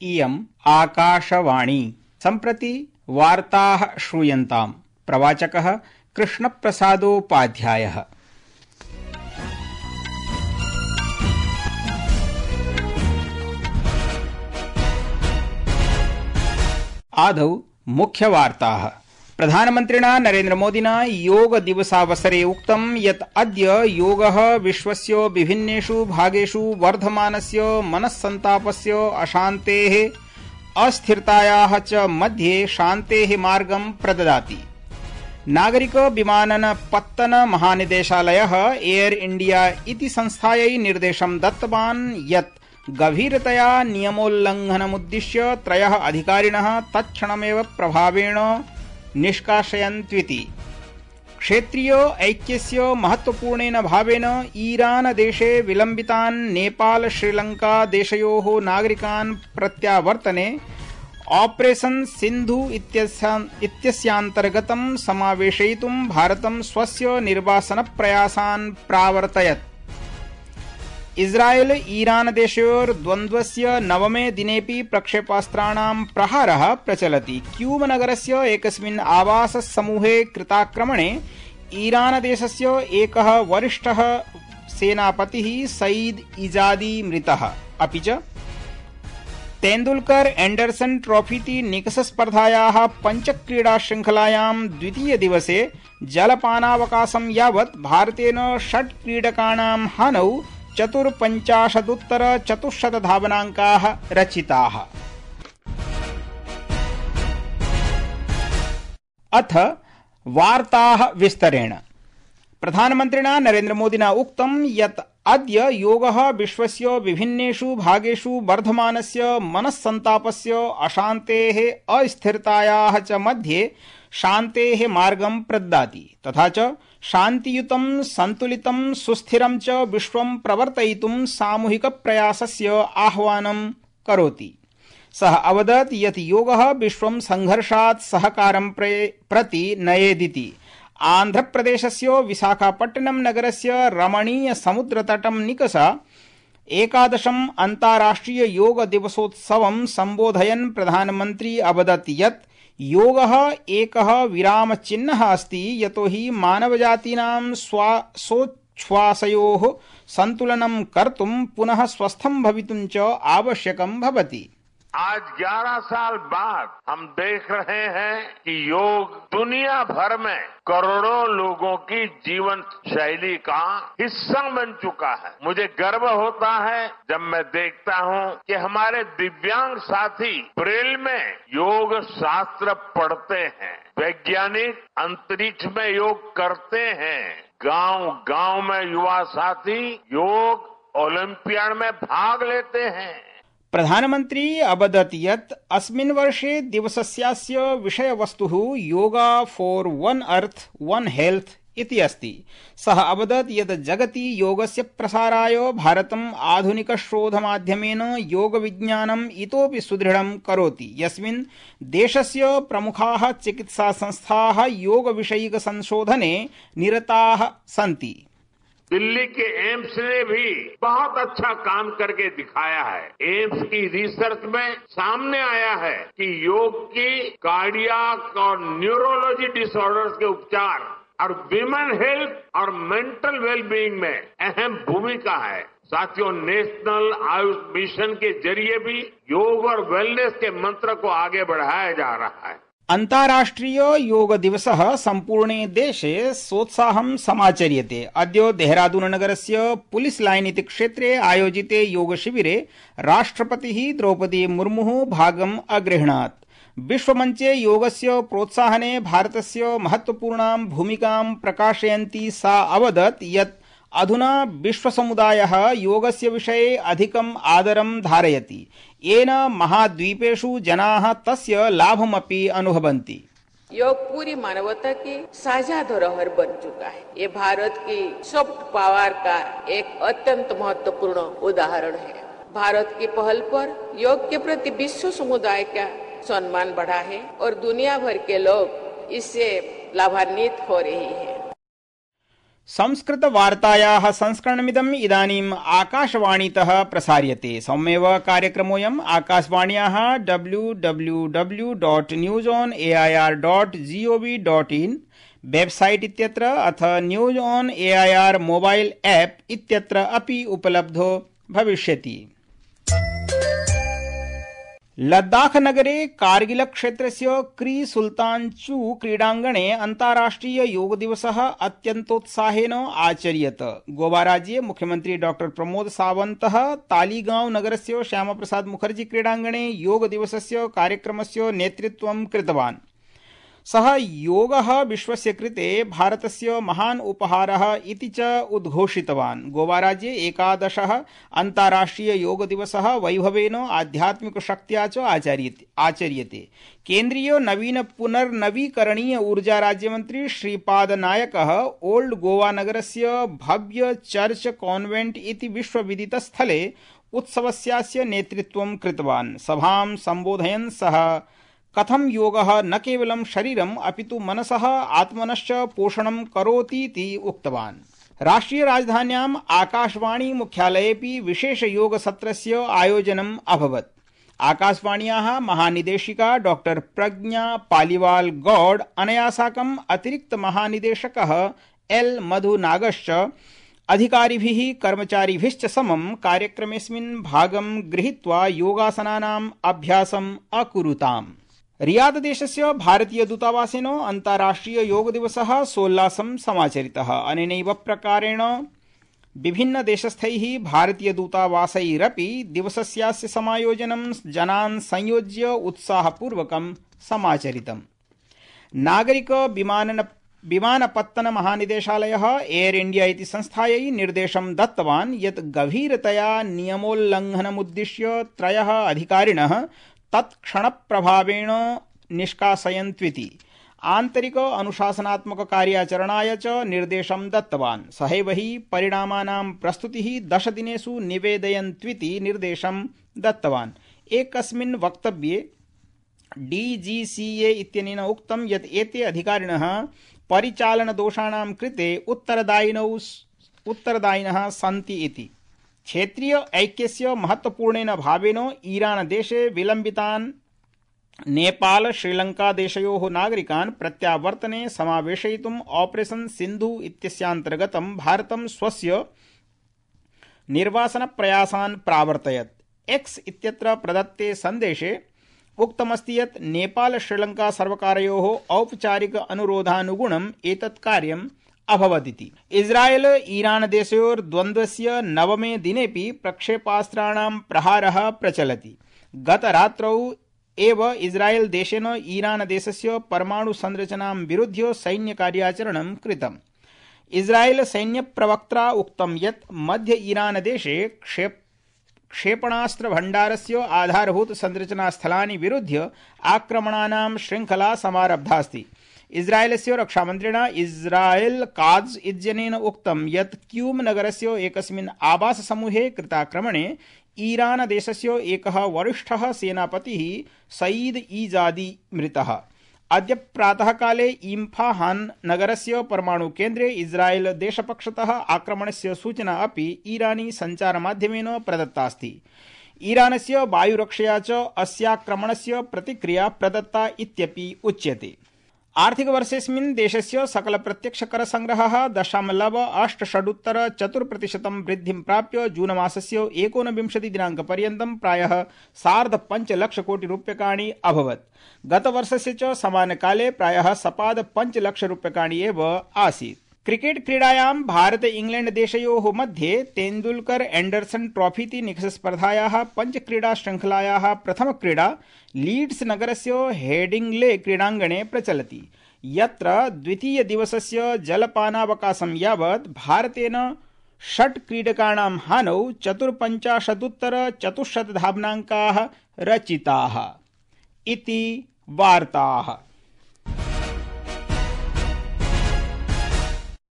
इयम् आकाशवाणी। सम्प्रति वार्ताः श्रूयन्ताम्। प्रवाचकः कृष्णप्रसादोपाध्यायः। आदौ मुख्यवार्ताः। प्रधानमन्त्रिणा नरेन्द्रमोदिना योगदिवसावसरे उक्तं यत् अद्य योगः विश्वस्य विभिन्नेषु भागेषु वर्धमानस्य मनस्सन्तापस्य, अशान्तेः, अस्थिरतायाः च मध्ये शान्तेः मार्गं प्रददाति। नागरिक विमानन पत्तन महानिदेशालयः एयर इंडिया इति संस्थायै निर्देशं दत्तवान् यत् गभीरतया नियमोल्लङ्घनमुद्दिश्य 3 अधिकारिणः तत्क्षणमेव प्रभावेण निष्कासयन्त्विति। क्षेत्रीय ऐक्यस्य महत्वपूर्णेन भावेन ईरान देशे विलम्बितान् नेपाल श्रीलंका देशयोः नागरिकान् प्रत्यावर्तने ऑपरेशन सिन्धु इत्यस्यान्तर्गतं समावेशयितुं भारतं स्वस्य निर्वासनप्रयासान् प्रावर्तयत्। इस्राएल ईरान देशयोर् द्वन्द्वस्य 9मे दिनेपि प्रक्षेपास्त्राणां प्रहारः प्रचलति। क्यूब नगरस्य एकस्मिन् आवाससमूहे कृताक्रमणे ईरान देशस्य एकः वरिष्ठः सेनापतिः सईद इजादी मृतः। अपि च तेंदुलकर एंडरसन ट्रॉफीति निकषस्पर्धायाः पञ्चक्रीडाशृङ्खलायां द्वितीयदिवसे जलपानावकाशं यावत् भारतेन 6 क्रीडकाणां हानौ 54 धावनाङ्काः रचिताः। अथ वार्ताः विस्तरेण। प्रधानमन्त्रिणा नरेन्द्रमोदिना उक्तं यत् अद्य योगः विश्वस्य विभिन्नेषु भागेषु वर्धमानस्य मनस्सन्तापस्य, अशान्तेः, अस्थिरतायाः च मध्ये शान्तेः मार्गं प्रददाति तथा च शान्तियुतं, सन्तुलितं, सुस्थिरं च विश्वं प्रवर्तयितुं सामूहिकप्रयासस्य आह्वानं करोति। सः अवदत् यत् योगः विश्वं संघर्षात् सहकारं प्रति नयेदिति। आन्ध्रप्रदेशस्य विशाखापट्टनम नगरस्य रमणीय समुद्रतटं निकषा 11 अन्ताराष्ट्रिय योग दिवसोत्सवं सम्बोधयन् प्रधानमन्त्री अवदत् यत् योगः एकः विरामचिह्नः अस्ति, यतो हि मानवजातीनां श्वासोच्छ्वासयोः सन्तुलनं कर्तुं पुनः स्वस्थं भवितुं च आवश्यकं भवति। आज 11 साल बाद हम देख रहे हैं कि योग दुनिया भर में करोड़ों लोगों की जीवन शैली का हिस्सा बन चुका है। मुझे गर्व होता है जब मैं देखता हूं कि हमारे दिव्यांग साथी ब्रेल में योग शास्त्र पढ़ते हैं, वैज्ञानिक अंतरिक्ष में योग करते हैं, गांव-गांव में युवा साथी योग ओलंपियाड में भाग लेते हैं। प्रधानमन्त्री अवदत् यत् अस्मिन् वर्षे दिवसस्यास्य विषयवस्तुः yoga for one earth one health इति अस्ति। सः अवदत् यत् जगति योगस्य प्रसाराय भारतम् आधुनिकशोधमाध्यमेन योगविज्ञानम् इतोपि सुदृढं करोति, यस्मिन् देशस्य प्रमुखाः चिकित्सासंस्थाः योगविषयिकसंशोधने निरताः सन्ति। दिल्ली के एम्स ने भी बहुत अच्छा काम करके दिखाया है। एम्स की रिसर्च में सामने आया है कि योग की कार्डियक और न्यूरोलॉजी डिसऑर्डर्स के उपचार और विमेन हेल्थ और मेंटल वेलबीइंग में अहम भूमिका है। साथियों, नेशनल आयुष मिशन के जरिए भी योग और वेलनेस के मंत्र को आगे बढ़ाया जा रहा है। अन्ताराष्ट्रिय योग दिवसः सम्पूर्णे देशे सोत्साहं समाचर्यते। अद्य देहरादून नगरस्य पुलिस लाइन इति क्षेत्रे आयोजिते योगशिबिरे राष्ट्रपतिः द्रौपदी मुर्मुः भागम् अगृह्णात्। विश्वमञ्चे योगस्य प्रोत्साहने भारतस्य महत्वपूर्णां भूमिकां प्रकाशयन्ती सा अवदत् यत् अधुना विश्वसमुदायः योगस्य विषये अधिकम् आदरं धारयति, येन महाद्वीपेषु जनाः तस्य लाभमपि अनुभवन्ति। योग पूरी मानवता की साझा धरोहर बन चुका है। ये भारत की सॉफ्ट पावर का एक अत्यंत महत्वपूर्ण उदाहरण है। भारत की पहल पर योग के प्रति विश्व समुदाय का सम्मान बढ़ा है और दुनिया भर के लोग इससे लाभान्वित हो रहे हैं। संस्कृतवार्तायाः संस्करणमिदम् इदानीम् आकाशवाणीतः प्रसार्यते। सममेव कार्यक्रमोऽयम् आकाशवाण्याः www.newsonair.gov.in वेबसाइट इत्यत्र अथ news on AIR mobile app इत्यत्र अपि उपलब्धो भविष्यति। लद्दाख नगरे कारगिल क्षेत्रस्य क्री सुल्तान चू क्रीडाङ्गणे अन्ताराष्ट्रिय योग दिवसः अत्यन्तोत्साहेन आचर्यत। गोवा राज्ये मुख्यमन्त्री डॉ प्रमोद सावन्तः तालीगांव नगरस्य श्यामप्रसाद मुखर्जी क्रीडाङ्गणे योग दिवसस्य कार्यक्रमस्य नेतृत्वं कृतवान्। सः योगः विश्वस्य कृते भारतस्य महान् उपहारः इति च उद्घोषितवान्। गोवा राज्ये 11 अन्ताराष्ट्रिय योग दिवसः वैभवेन आध्यात्मिकशक्त्या च आचर्यते। केन्द्रीय नवीन पुनर्नवीकरणीय ऊर्जा राज्यमन्त्री श्रीपाद नायकः ओल्ड गोवा नगरस्य भव्य चर्च कॉन्वेंट इति विश्वविदितस्थले उत्सवस्यास्य नेतृत्वं कृतवान्। सभां सम्बोधयन् सः कथं योगः न केवलं शरीरम् अपितु मनसः आत्मनश्च पोषणं करोतीति उक्तवान्। राष्ट्रिय राजधान्याम् आकाशवाणी मुख्यालयेऽपि विशेष योग सत्रस्य आयोजनम् अभवत्। आकाशवाण्याः महानिदेशिका डॉ प्रज्ञा पालिवाल गौड अनया साकम् अतिरिक्त महानिदेशकः एल मधुनागश्च अधिकारिभिः कर्मचारिभिश्च समं कार्यक्रमेऽस्मिन् भागं गृहीत्वा योगासनानाम् अभ्यासम् अकुरुताम्। रियाद देशस्य भारतीय दूतावासेन अन्ताराष्ट्रिय योग दिवसः सोल्लासं समाचरितः। अनेनैव प्रकारेण विभिन्न देशस्थैः भारतीय दूतावासैरपि दिवसस्यास्य समायोजनं जनान् संयोज्य उत्साहपूर्वकं समाचरितम्। नागरिक विमानपत्तन महानिदेशालयः एयर इंडिया इति संस्थायै निर्देशं दत्तवान् यत् गभीरतया नियमोल्लङ्घनमुद्दिश्य 3 अधिकारिणः तत्क्षणप्रभावेण निष्कासयन्त्विति। आन्तरिक अनुशासनात्मक कार्याचरणाय च निर्देशं दत्तवान्। सहैव हि परिणामानां प्रस्तुतिः 10 दिनेषु निवेदयन्त्विति निर्देशं दत्तवान्। एकस्मिन् वक्तव्ये डीजीसीए इत्यनेन उक्तं यत् एते अधिकारिणः परिचालनदोषाणां कृते उत्तरदायिनः सन्ति इति। क्षेत्रीय ऐक्यस्य महत्वपूर्णेन भावेन ईरान देशे विलम्बितान् नेपाल श्रीलंका देशयोः नागरिकान् प्रत्यावर्तने समावेशयितुम् ऑपरेशन सिन्धु इत्यस्यान्तर्गतं भारतं स्वस्य निर्वासनप्रयासान् प्रावर्तयत्। एक्स इत्यत्र प्रदत्ते सन्देशे उक्तमस्ति यत् नेपाल श्रीलंका सर्वकारयोः औपचारिक अनुरोधानुगुणम् एतत् कार्यम् अभवदिति। इस्राएल ईरान देशयोर्द्वन्द्वस्य 9मे दिनेपि प्रक्षेपास्त्राणां प्रहारः प्रचलति। गतरात्रौ एव इस्राएल देशेन ईरान देशस्य परमाणु संरचनां विरुध्य सैन्यकार्याचरणं कृतम्। इस्राएल सैन्यप्रवक्त्रा उक्तं यत् मध्य ईरान देशे क्षेपणास्त्र भण्डारस्य आधारभूत संरचनास्थलानि विरुध्य आक्रमणानां श्रृंखला समारब्धास्ति। इस्राएलस्य रक्षामन्त्रिणा इस्राएल काज इत्यनेन उक्तं यत् क्यूम नगरस्य एकस्मिन् आवाससमूहे कृताक्रमणे ईरान देशस्य एकः वरिष्ठः सेनापतिः सईद ईजादी मृतः। अद्य प्रातःकाले इम्फाहान नगरस्य परमाणुकेन्द्रे इस्राएल देशपक्षतः आक्रमणस्य सूचना अपि ईरानी सञ्चारमाध्यमेन प्रदत्तास्ति। ईरानस्य वायुरक्षया च अस्याक्रमणस्य प्रतिक्रिया प्रदत्ता इत्यपि उच्यते। आर्थिकवर्षेऽस्मिन् देशस्य सकलप्रत्यक्षकरसंग्रहः 0.86% वृद्धिं प्राप्य जूनमासस्य 29 दिनाङ्कपर्यन्तं प्रायः 5.5 लक्षकोटिरूप्यकाणि अभवत्। गतवर्षस्य च समानकाले प्रायः 5.5 लक्षरूप्यकाणि एव आसीत्। क्रिकेट क्रीडायां भारत इंग्लैंड देशयोः मध्ये तेंदुलकर एंडरसन ट्रॉफीति निकषस्पर्धायाः पञ्चक्रीडा श्रृंखलायाः प्रथमक्रीडा लीड्स नगरस्य हेडिंग्ले क्रीडाङ्गणे प्रचलति, यत्र द्वितीयदिवसस्य जलपानावकाशं यावत् भारतेन 6 क्रीडकाणां हानौ 54 धावनाङ्काः रचिताः। इति वार्ताः।